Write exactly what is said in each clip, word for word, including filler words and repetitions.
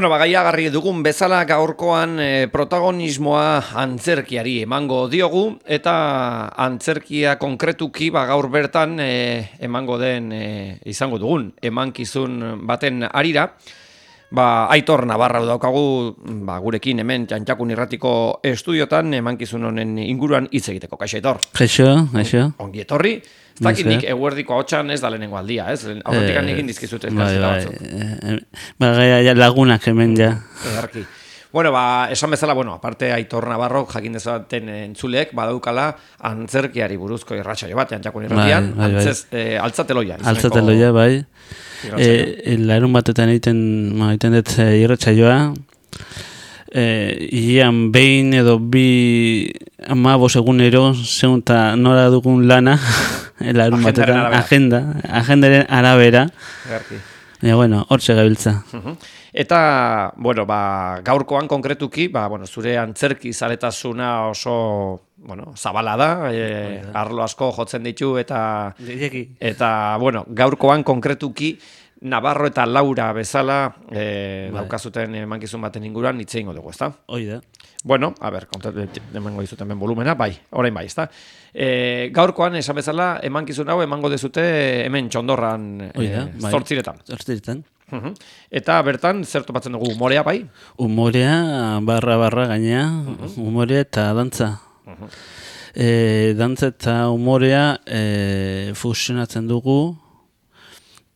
Bueno, bagaiagarri dugun bezala gaurkoan e, protagonismoa antzerkiari emango diogu eta antzerkia konkretuki ba, gaur bertan e, emango den e, izango dugun emankizun baten harira. Ba, Aitor Navarra daukagu ba, gurekin hemen Txantxakun Irratiko estudiotan emankizun honen inguruan hitz egiteko. Kaixo Aitor. Kaixo, kaixo. Ongi etorri. Ez dakit nik eguerdiko hotxan ez da lehenengo aldia, ez? Aurretik eh, egin dizkizut elkarrizketa batzuk. Ba, bai, lagunak hemen ja. Edarki. Bueno, ba, esan bezala, bueno, aparte Aitor Navarro jakin dezaten entzuleek badaukala antzerkiari buruzko irratsaio bat, Txantxakun Irratian, bai, bai, bai. antzez, eh, altzateloia. Altzateloia, bai. E, larun batetan egiten, ma, egiten dut irratsaioa. E, ian behin edo bi amabos egunero segunta nora dugun lana larun batetan, agenda, agendaren arabera. Ja, bueno, hortxe gabiltza. Uh-huh. Eta, bueno, ba, gaurkoan konkretuki, ba, bueno, zure antzerki zaletasuna oso, bueno, zabala da, e, arlo asko jotzen ditu, eta, eta, bueno, gaurkoan konkretuki, Navarro eta Laura bezala e, daukazuten emankizun baten inguruan hitz egingo dugu, ezta? Hoi da. Bueno, a ber, emango dizuten ben volumena, bai, orain bai, ezta? E, gaurkoan, esan bezala, emankizun hau emango dezute hemen Txondorran e, bai. zortziretan. Zortziretan. Uh-huh. Eta bertan, zer topatzen dugu, umorea, bai? Umorea, barra-barra gainea, uh-huh. Umorea eta dantza. Uh-huh. e, dantza eta umorea e, fusionatzen dugu,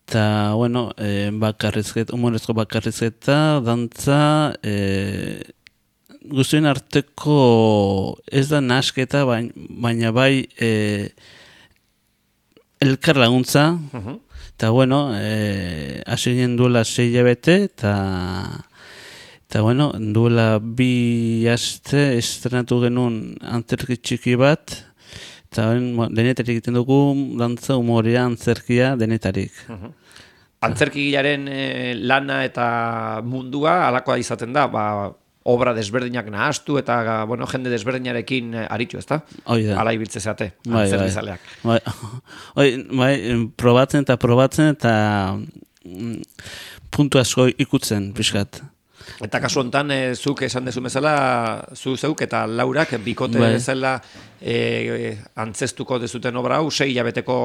eta, bueno, e, bakarrizketa, humorezko bakarrizketa, dantza, e, guztien arteko ez da nasketa, baina, baina bai e, elkar laguntza, uh-huh. Eta, bueno, e, hasi ginen duela sei hilabete, eta, eta, bueno, duela bi aste estrenatu genuen antzerki txiki bat, eta denetarik egiten dugu, dantza, umorea, antzerkia, denetarik. Uh-huh. Antzerkigilaren e, lana eta mundua, alakoa izaten da, ba, obra desberdinak nahastu eta, bueno, jende desberdinarekin aritu, ezta? Hoi da. Ala ibiltze zeate, bai, antzerkizaleak. Bai, bai, bai, probatzen eta probatzen eta mm, puntu asko ikutzen, pixkat. Eta kasu honetan, e, zuk esan dezu bezala, zu zeuk eta Laurak bikote bai. bezala e, antzestuko dezuten obra hau, sei hilabeteko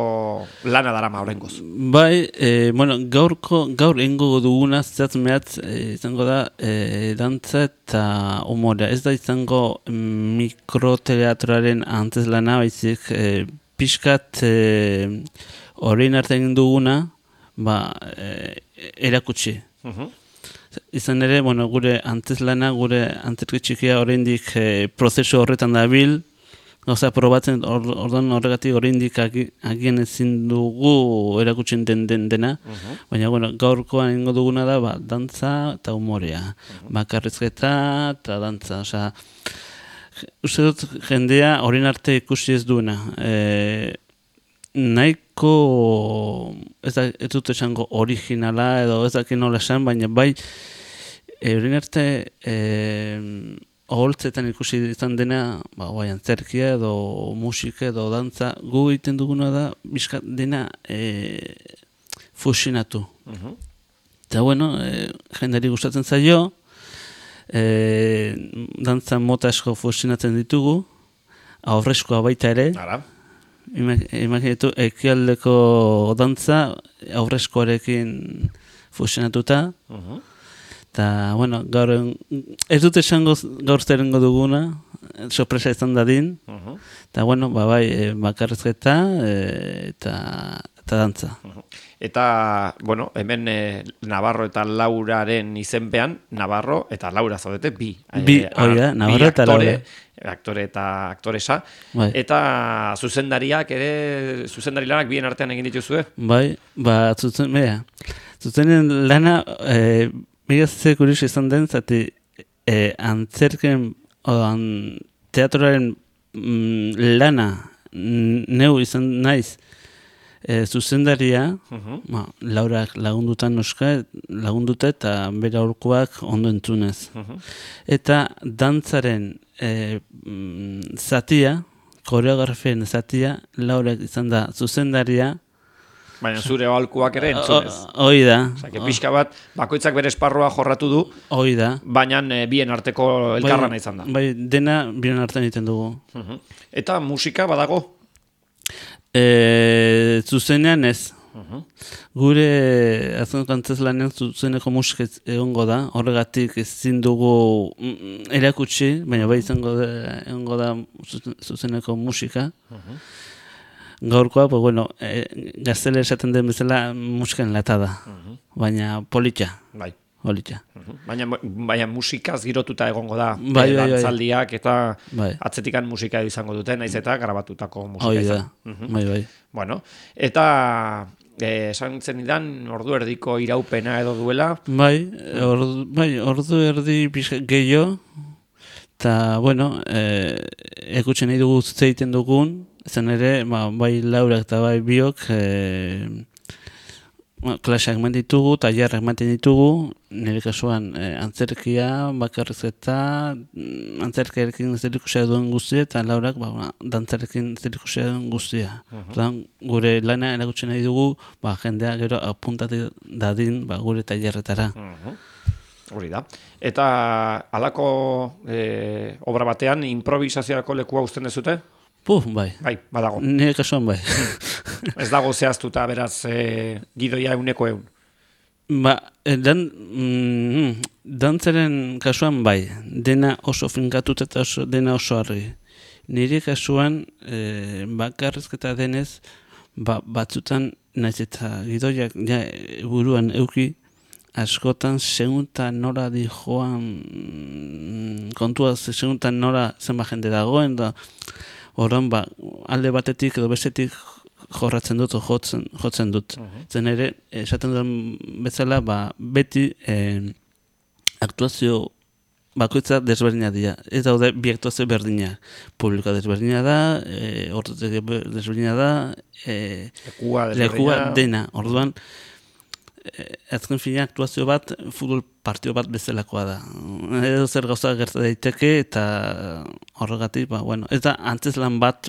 lana darama horrengoz. Bai, e, bueno, gaurko, gaur ingo duguna zehatz mehatz e, izango da e, dantza eta umorea. Ez da izango mikroteatroaren antzez lana, baizik e, pixkat horrein arte egin duguna, ba, e, erakutsi. Uh-huh. Izan ere, bueno, gure antzezlana, gure antzerki txikia oraindik e, prozesu horretan dabil, gauza probatzen ordan horregatik oraindik agian ezin dugu erakutsen den, den dena, uh-huh. Baina, bueno, gaurkoan egingo duguna da, ba, dantza eta umorea, uh-huh. Bakarrizketa eta dantza, osea, uste dut jendea orain arte ikusi ez duena, e, nahiko, ez, da, ez dut esango originala edo ez dakit nola esan, baina bai eurin arte e, oholtzetan ikusi izan dena, ba, bai antzerkia edo musika edo dantza, gu egiten duguna da bizkat dena e, fusionatu. Uh-huh. Eta bueno, e, jendari gustatzen zaio, e, dantza mota asko fusionatzen ditugu, aurrezkoa baita ere. Ara. Imaginetu, ekialdeko dantza aurrezkoarekin fusionatuta. Uh-huh. Eta, bueno, gaur, ez dut esango gaur zerengo duguna, sorpresa izan dadin. Uh-huh. Eta, bueno, ba, bai, bakarrizketa eta, eta dantza. Uh-huh. Eta, bueno, hemen eh, Navarro eta Lauraren izenpean, Navarro eta Laura zaudete, bi. Bi, eh, hori da, Navarro eta Laura. Aktore eta aktoresa. Bai. Eta zuzendariak ere, zuzendari lanak bien artean egin dituzue? Bai, ba, zuzen, bera, zuzenen lana, e, mega ze kurios izan den, zati e, antzerken, odan, teatroaren mm, lana neu izan naiz, e, zuzendaria, uh-huh. ba, Laurak lagundutan noska, lagunduta eta bere aurkoak ondo entzunez. Uh-huh. Eta dantzaren e, mm, zatia, koreografien zatia, Laurak izan da zuzendaria, Baina zure aholkuak ere entzunez. Hoi da. Osea, pixka bat, bakoitzak bere esparrua jorratu du, hoi da. baina e, bien arteko elkarrana izan da. Bai, dena bien artean egiten dugu. Uh-huh. Eta musika badago? E, zuzenean ez. Uh-huh. Gure azken kantzeslanean zuzeneko musika egongo da, horregatik ezin dugu mm, erakutsi, baina bai izango da, egongo da zuzeneko musika. Uh-huh. Gaurkoa, pues bueno, e, gaztele esaten den bezala musika enlatada, uh-huh. baina politxa. Bai. Politxa. Uh-huh. Baina, baina musikaz girotuta egongo da, bai, bai, dantzaldiak eta bai. atzetikan musika izango dute, naiz eta grabatutako musika Hoi izan. da, uh-huh. bai, bai. Bueno, eta eh, esan zen idan, ordu erdiko iraupena edo duela? Bai, ordu, bai, ordu erdi gehiago, eta, bueno, eh, ekutxe nahi dugu zeiten dugun, zen ere, ba, bai laurak eta bai biok, eh, ba, klaseak eman ditugu, tailerrak ematen ditugu, nire kasuan eh, antzerkia, bakarrizketa, antzerkiarekin zerikusia duen guztia, eta laurak ba, ba, dantzarekin zerikusia duen guztia. Uh-huh. Gure lana erakutsi nahi dugu, ba, jendea gero apuntatu dadin ba, gure tailerretara. Uh-huh. Hori da. Eta halako e, obra batean improvisaziorako lekua uzten dezute? Puh, bai. Bai, badago. Nire kasuan bai. Ez dago zehaztuta, beraz, e, gidoia euneko eun. Ba, dan, mm, dantzaren kasuan bai, dena oso finkatuta eta oso, dena oso argi. Nire kasuan e, bakarrizketa denez, ba, batzutan naiz eta gidoiak ja, buruan euki, askotan seguntan nora di joan kontua seguntan nora zenba jende dagoen da oran ba alde batetik edo bestetik jorratzen dut jotzen jotzen dut. Uh-huh. Zen ere esaten duen bezala ba beti eh, aktuazio bakoitza desberdina dira. Ez daude bi aktuazio berdinak. Publikoa desberdina da, eh ordutek desberdina da, eh lekua lekua dena. Orduan azken fina aktuazio bat futbol partio bat bezalakoa da. Edo zer gauza gerta daiteke eta horregatik, ba, bueno, eta antzeslan bat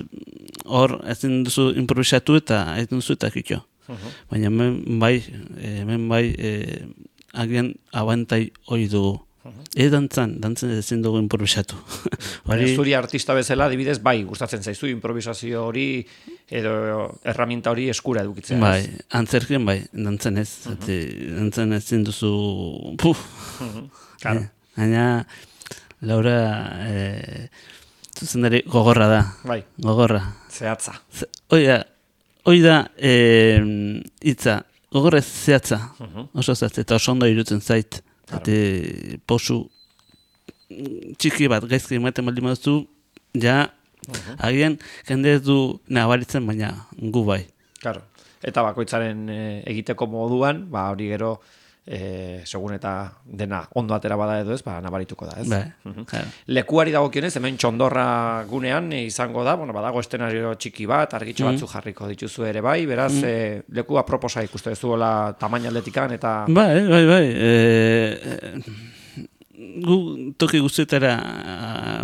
hor ezin duzu improvisatu eta ezin duzu eta kitxo. Uh-huh. Baina hemen bai, hemen bai e, agian abantai hori dugu. Uh-huh. Ez dantzan, dantzan ezin dugu improvisatu. Baina zuri artista bezala, adibidez, bai, gustatzen zaizu improvisazio hori edo erraminta hori eskura edukitzea. Bai, antzerkien bai, dantzen ez. Uh-huh. Dantzen ezin duzu... Puf! Uh-huh. Claro. Baina, Laura, e, zuzendari gogorra da. Bai. Gogorra. Zehatza. Ze, oida, oida e, itza, gogorra ez zehatza. Uh-huh. Oso zehatza, eta oso ondo irutzen zait. Claro. Eta posu txiki bat gaizki ematen baldin baduzu, ja, uh-huh. agian jende ez du nabaritzen, baina gu bai. Claro. Eta bakoitzaren e, egiteko moduan, ba hori gero e, segun eta dena ondo atera bada edo ez, ba nabarituko da, ez? Bai. Uh-huh. Claro. Lekuari dagokionez, hemen txondorra gunean e, izango da, bueno, badago estenario txiki bat, argitxo batzu jarriko dituzu ere bai, beraz, mm. e, leku aproposa ikuste duzuela tamaina aldetikan eta... Bai, bai, bai. E, gu toki guztietara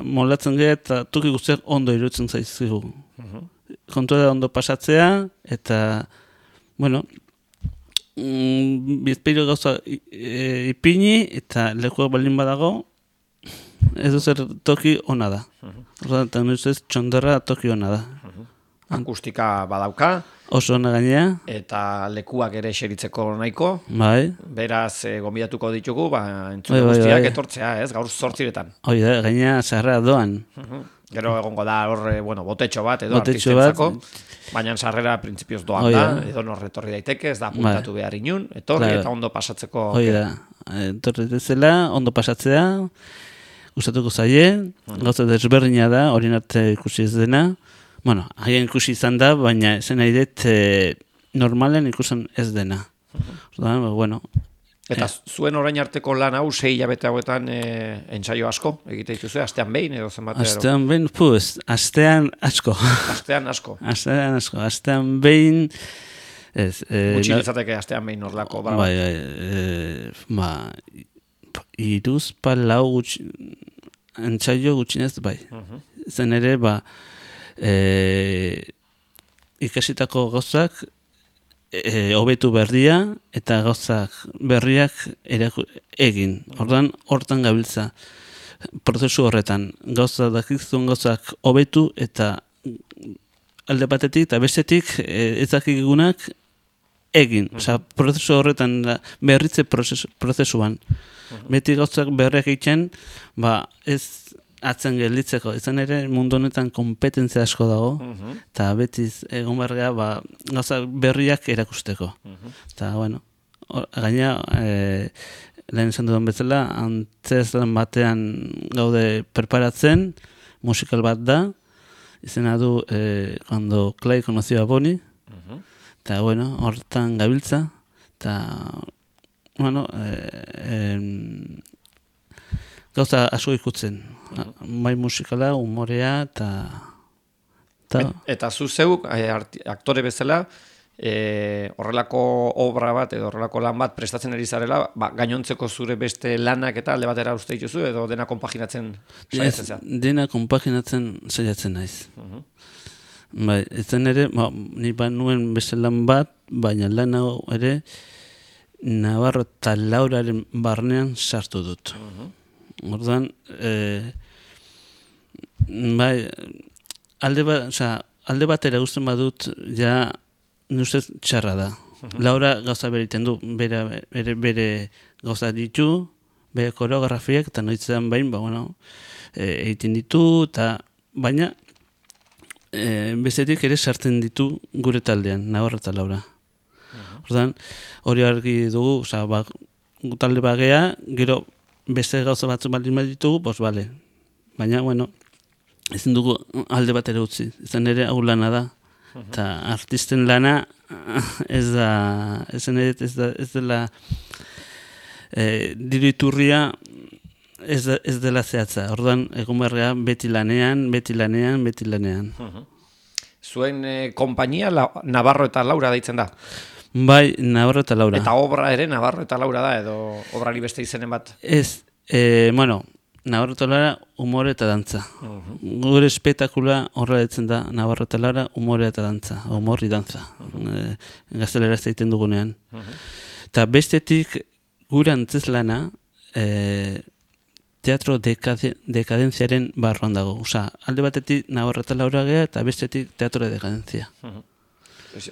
molatzen gara eta toki guztiak ondo irutzen zaizkigu. Uh-huh. Kontua da ondo pasatzea eta, bueno, mm, bizpeiro gauza e, ipini eta lekuak baldin badago, ez zer toki ona da. Uh-huh. Eta nuzez txondorra toki ona da. Uh-huh. Akustika badauka. Oso ona gainea. Eta lekuak ere eseritzeko nahiko. Bai. Beraz, e, gonbidatuko ditugu, ba, entzule bai, bai, guztiak bai. etortzea, ez, gaur zortziretan. Hoi da, gainea sarrera doan. Uh-huh. Gero egongo da hor, bueno, botetxo bat edo Botetxo artistentzako, bat. baina sarrera printzipioz doan Hoi da, da. edo nor etorri daiteke, ez da apuntatu behar inun, etorri Claro. eta ondo pasatzeko. Hoi da, etorri dezela, ondo pasatzea, gustatuko zaie, uh-huh. gauza desberdina da, horien arte ikusi ez dena. Bueno, haien ikusi izan da, baina zen nahi dut e, normalen ikusen ez dena. Uh-huh. Bueno, eta eh. zuen orain arteko lan hau sei hilabete hauetan e, entsaio asko egite dituzu, astean behin edo zenbat? Astean behin, puz, astean asko. Astean asko. Astean asko, astean behin... Ez, e, Gutxi litzateke astean behin orlako. Bai, bai, e, ba, iruz pa lau gutxi, entsaio gutxinez bai. Uh-huh. Zen ere, ba, e, ikasitako gauzak e, hobetu berria eta gauzak berriak eraku, egin. Ordan hortan gabiltza prozesu horretan. Gauza dakizun gauzak hobetu eta alde batetik eta bestetik e, ez dakigunak egin. Osea, prozesu horretan da, berritze prozesu, prozesuan. Beti gauzak berriak egiten, ba ez atzen gelditzeko. Izan ere mundu honetan konpetentzia asko dago, eta uh-huh. beti egon berria ba, gauza berriak erakusteko. Eta, uh-huh. bueno, or, gaina, e, lehen esan dudan bezala, antzez lan batean gaude preparatzen, musikal bat da, izena du, e, cuando Clay conoció a Bonnie, eta, uh-huh. bueno, hortan gabiltza, eta, bueno, e, e, gauza asko ikutzen. Bai musikala, umorea, eta... Et, eta zu zeu, aktore bezala, e, horrelako obra bat, edo horrelako lan bat prestatzen ari zarela, ba, gainontzeko zure beste lanak eta alde batera uste dituzu, edo dena konpaginatzen saiatzen zea? Dena konpaginatzen saiatzen naiz. Uh-huh. Bai, ezen ere, ba, ni ba nuen beste lan bat, baina lan hau ere, Navarro eta Lauraren barnean sartu dut. Uh-huh. Orduan, eh, bai, alde, ba, oza, alde batera guztien badut, ja, nustez txarra da. Uh-huh. Laura gauza beriten du, bere, bere, bere gauza ditu, bere koreografiak, eta noitzen bain, ba, bueno, e, egiten ditu, eta baina, e, bezetik ere sartzen ditu gure taldean, Navarro eta Laura. Uh-huh. Orduan, hori argi dugu, oza, ba, talde bagea, gero, beste gauza batzu baldin baditugu, bos, bale. Baina, bueno, ezin dugu alde bat ere utzi. Izan ere hau lana da. Eta uh-huh. artisten lana ez da, ez, ez, da, ez dela e, diru iturria ez, da, ez dela zehatza. Orduan, egun berrea beti lanean, beti lanean, beti lanean. Uh-huh. Zuen e, kompainia la, Navarro eta Laura deitzen da? Bai, Navarro eta Laura. Eta obra ere Navarro eta Laura da, edo obrari beste izenen bat? Ez, e, bueno, Navarro eta Laura, umore eta dantza. Uh-huh. Gure espektakula horrela ditzen da, Navarro eta Laura, umore eta dantza, umorri dantza. Uh-huh. E, gaztelera ez egiten dugunean. Uh-huh. Eta bestetik, gure antzezlana, e, teatro dekade, dekadenziaren barruan dago. Osa, alde batetik Navarro eta Laura gea, eta bestetik teatro de dekadentzia. Uh-huh.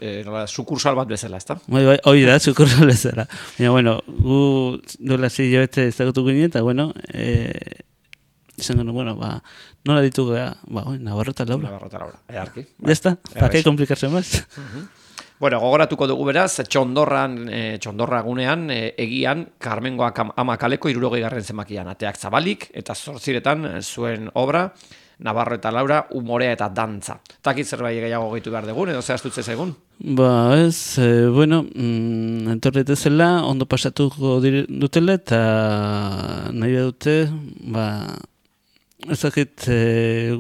Eh, nola, sukursal bat bezala, ezta? Bai, bai, hori da, sukursal bezala. Baina, bueno, gu dola zi jabete ezagutu ginen, eta, bueno, eh, izan gano, bueno, ba, nola ditugu, ba, oi, Navarro eta Laura. Navarro eta Laura, earki. Ya está, pa que complicarse más. Uh-huh. Bueno, gogoratuko dugu beraz, txondorran, eh, txondorra gunean, eh, egian, Karmengoak ama kaleko irurogei garren zenbakian, ateak zabalik, eta zortziretan zuen obra, Navarro eta Laura, umorea eta dantza. Takit zerbait gehiago gehitu behar dugun, edo zehaztutze zegun? Ba, ez, e, bueno, mm, entorretezela, ondo pasatuko dutela, eta nahi dute, ba, ezakit, e,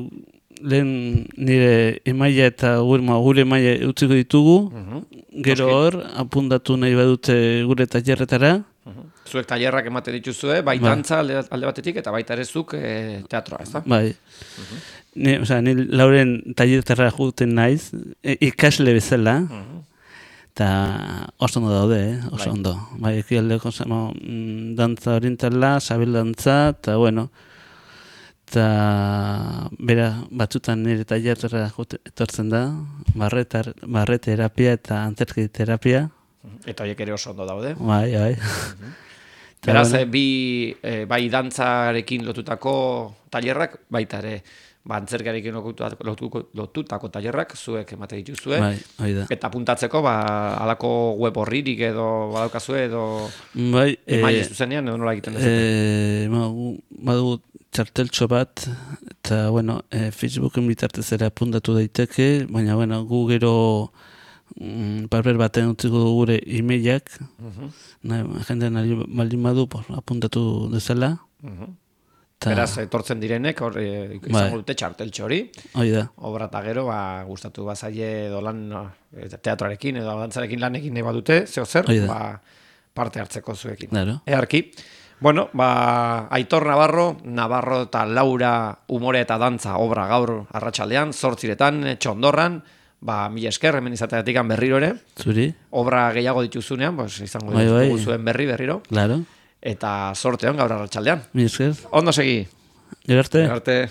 lehen nire emaia eta gure, gure emaia utziko ditugu, uh-huh. Gero hor, apuntatu nahi badute gure tailerretara. Uh-huh. Zuek tailerrak ematen dituzue, bai dantza alde, alde batetik eta baita ere zuk e, teatroa, ez da? Bai. Uh-huh. Ni, o sea, ni Lauren tailerretara juten naiz, e, ikasle bezala, eta uh-huh. oso ondo daude, eh? oso bai. Ondo. Bai, ekialdeko mm, dantza orientala, sabel dantza, eta bueno, eta bera batzutan nire tailerretara etortzen da, barre terapia eta antzerki terapia. Eta horiek ere oso ondo daude. Bai, bai. Uh-huh. Beraz, bueno. bi, e, bai dantzarekin lotutako tailerrak, baita ere, ba, antzerkiarekin lotutako, lotutako tailerrak, zuek emate dituzue. Bai, hori da. Eta puntatzeko, ba, alako web horririk edo badaukazue edo bai, emaile zuzenean, edo nola egiten dezute? E, ma, badu txarteltxo bat, eta, bueno, e, Facebooken bitartez ere apuntatu daiteke, baina, bueno, gu gero Mm, paper baten utziko gure e-mailak, uh-huh. nahi, jendean baldin badu, por, apuntatu dezala. Uh-huh. Ta... Beraz, etortzen direnek, hor, e, izango dute txarteltxo hori. Hoi da. Obra eta gero, ba, gustatu bazaile edo lan teatroarekin edo dantzarekin lanekin nahi badute, zeo zer, ba, parte hartzeko zuekin. Claro. Earki. Bueno, ba, Aitor Navarro, Navarro eta Laura umore eta dantza obra gaur arratsaldean, zortziretan, txondorran, ba, mila esker hemen izateatik berriro ere. Zuri. Obra gehiago dituzunean, pues, izango Bai, bai. ditugu zuen berri berriro. Claro. Eta sorteon gaur arratsaldean. Mila esker. Ondo segi. Gero arte. Gero arte.